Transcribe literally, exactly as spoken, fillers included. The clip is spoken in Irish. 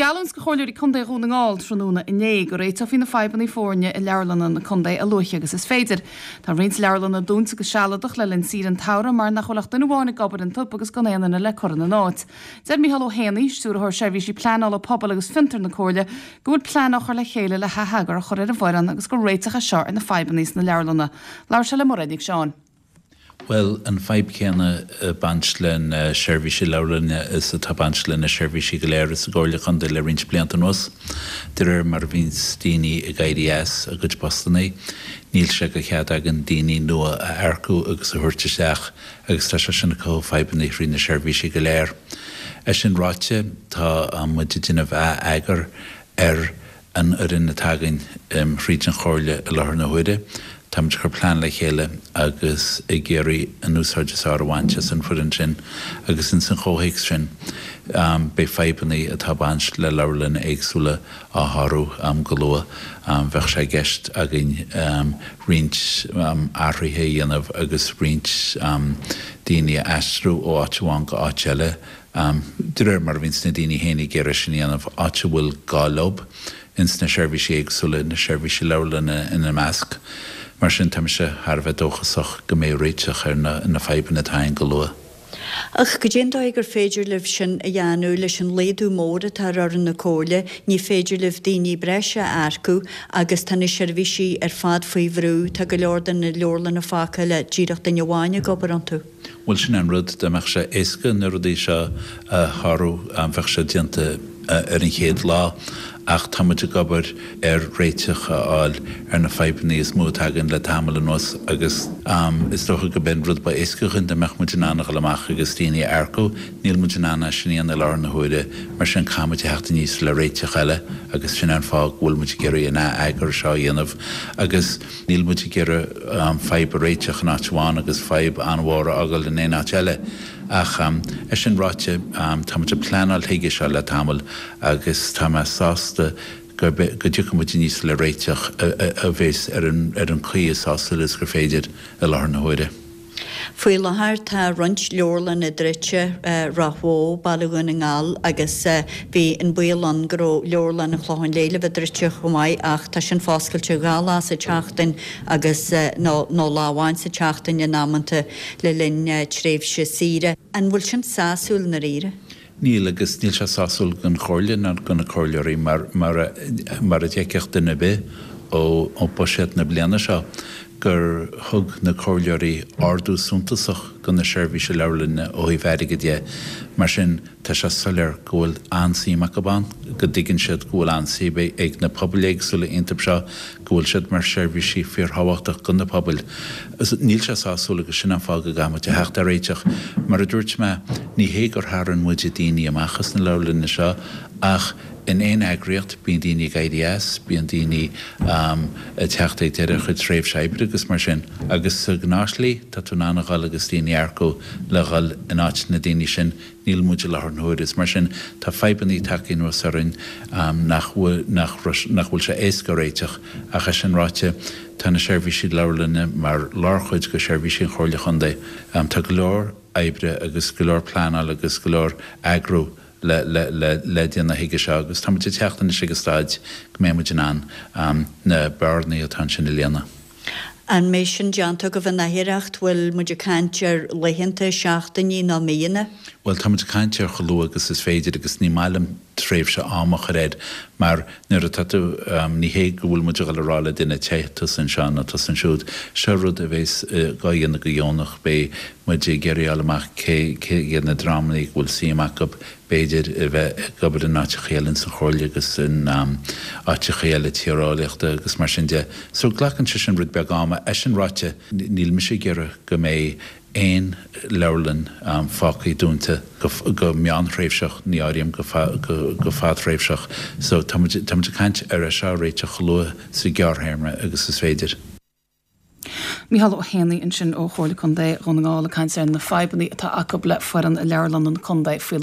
geallúint do Chomhairleoirí Contae Dhún na nGall tráthnóna inné go réiteofaí na fadhbanna foirne i leabharlanna na contae a luaithe agus is féidir. Tá roinnt leabharlanna dúnta go sealadach le linn saoire an tsamhraidh mar nach bhfuil ach duine amháin ag obair iontu agus gan aon duine le cur ina n-áit. Deir Micheál Ó Héanaí, Stiúrthóir Seirbhísí Pleanála Pobail agus Fiontar na Comhairle, go bhfuil plean á chur le chéile le hatheagar a chur ar an bhfoireann agus gur réiteach é seo ar na fadhbanna sna leabharlanna. Labhair sé le Mairéad Nic Seáin. Well an fadhb céanna ag baint le na seirbhísí leabharlainne is atá ag baint le na seirbhísí go léir sa gComhairle Contae le roinnt blianta anuas. De réir mar a bhíonns daoine ag éirí as a gcuid postanna, níl sé de chead againn daoine nua a earcú agus a thabhairt isteach agus tá sé sin ag cothú fadhbanna thrí na seirbhísí go léir. É sin ráite tá muid ag déanamh atheagar ar an fhoireann atá againn thríd an Chomhairle i láthair na huaire. Táimid ag cur plean le chéile agus ag iarraidh an úsáid is fearr a bhaint as an bhfoireann sin agus ins an chomhthéacs sin beidh fadhbanna atá ag baint le leabharlanna éagsúla á shárú go luath. Bheadh sé i gceist againn roinnt athruithe a dhéanamh agus roinnt daoine a aistriú ó áit amháin go áit eile de réir mar a bhíonns na daoine féin ag iarraidh sin a dhéanamh, áit a bhfuil gá leo ins na seirbhísí éagsúla, na seirbhísí leabharlainne ina measc. Mar sin tá mise thar a bheith dóchasach go mbeidh réiteach ar na na fadhbanna atá ann go luath. Ach goidé an dóigh gur féidir libh sin a dhéanamh leis an laghdú mór atá ar fhoireann na Comhairle, ní féidir libh daoine breise a earcú agus tá na seirbhísí ar fad faoi bhrú, tá go leor de na leabharlanna fágtha le díreach duine amháin ag obair iontu. Bhuel sin an rud, dá mbeadh sé éasca na rudaí seo a shárú bheadh sé déanta ar an chéad lá ach tá muid ag obair ar réiteach a fháil ar na fadhbanna is mó atá againn le tamall anuas agus is dócha gurb é an rud ba éasca dhúinn dá mbeadh muid in ann a dhul amach agus daoine a earcú. Níl muid in ann é sin a dhéanamh i láthair na huaire, mar sin caithfidh muid a theacht aníos le réiteach eile agus sin an fáth go bhfuil muid ag iarraidh an atheagar seo a dhéanamh agus níl muid ag iarraidh fadhb a réiteach in áit amháin agus fadhb an-mhór a fhágáil in aon áit eile. Ach é sin ráite, tá muid ag pleanáil chuige seo le tamall agus tá mé sásta go dtiocfaidh muid aníos le réiteach a bheas ar an ar an chaoi is sásúla is gur féidir i láthair na huaire. Faoi láthair tá roinnt leabharlanna druidte, Ráth Bhoth, Baile Dhún na nGall agus bhí an baol ann go raibh Leabharlann an Chlocháin Léith le bheith druidte chomh maith ach tá sin foscailte dhá lá sa tseachtain agus nó nó lá amháin sa tseachtain in amanta le linn tréimhse saoire. An bhfuil sin sásúil i ndáiríre? Níl, agus níl sé sásúil don Chomhairle ná do na comhairleoirí mar mar mar a d'fheicfeadh duine ar bith ó ó buiséad na bliana seo gur thug na comhairleoirí ardú suntasach do na seirbhísí leabharlainne ó thaobh airgid de. Mar sin, tá sé soiléir go bhfuil an-suim acu ann, go dtuigeann siad go bhfuil an-suim ag na pobail éagsúla iontu seo, go bhfuil siad mar seirbhísí fíorthábhachtach do na pobail. Níl sé sásúil agus sin an fáth go gcaithfidh muid a theacht ar réiteach. Mar a dúirt mé, ní hé gur tharraing muid daoine amach as na leabharlanna seo ach in aon eagraíocht, bíonn daoine ag éirí as, bíonn daoine ag teacht ag deireadh a chuid tréimhse oibre agus mar sin. Agus sa ghnáthshlí, tá tú in ann a dhul agus daoine a earcú le dhul in áit na daoine sin. Níl muid i láthair na huaire. Is mar sin, tá fadhbanna tagtha anuas orainn nach bhfuil, nach bhfuil sé éasca a réiteach. Ach é sin ráite, tá na seirbhísí leabharlainne mar lárchuid de sheirbhísí an Chomhairle Chontae. Tá go leor oibre agus go leor pleanáil agus go leor eagrú le le le le déanamh chuige seo agus tá muid ag teacht anois ag an staid go mbeidh muid in ann na bearnaí atá ansin a líonadh. An mbeidh sin déanta agaibh in oidhreacht? Bhfuil muid ag caint ar laethanta, seachtainí nó míonna? Bhuel, tá muid ag caint ar chomh luath agus is féidir agus ní maith liom tréimhse ama a chur air mar nuair atá tú, ní hé go bhfuil muid ag dul a rá le duine téigh tusa anseo nó tusa ansiúd, seo rud a bheas dhá dhéanamh go deonach, beidh muid ag iarraidh a fháil amach cé cé hiad na dreamanna go bhfuil suim acu b'fhéidir a bheith ag obair in áiteacha eile ins an Chomhairle agus in áiteacha eile tíreolaíochta agus mar sin de. So glacann sé sin rud beag ama. É sin ráite, níl mise ag iarraidh go mbeidh aon leabharlann fágtha dúnta go meánthréimhseach, ní áirím go go fadthréimhseach. So tá muid tá muid ag caint ar é seo a réiteach chomh luath sa ghearrthéarma agus is féidir. Micheál Ó hÉanaí ansin ó Chomhairle Contae Dhún na nGall ag caint ar na fadhbanna atá acu le foireann i leabharlanna na contae faoi láthair.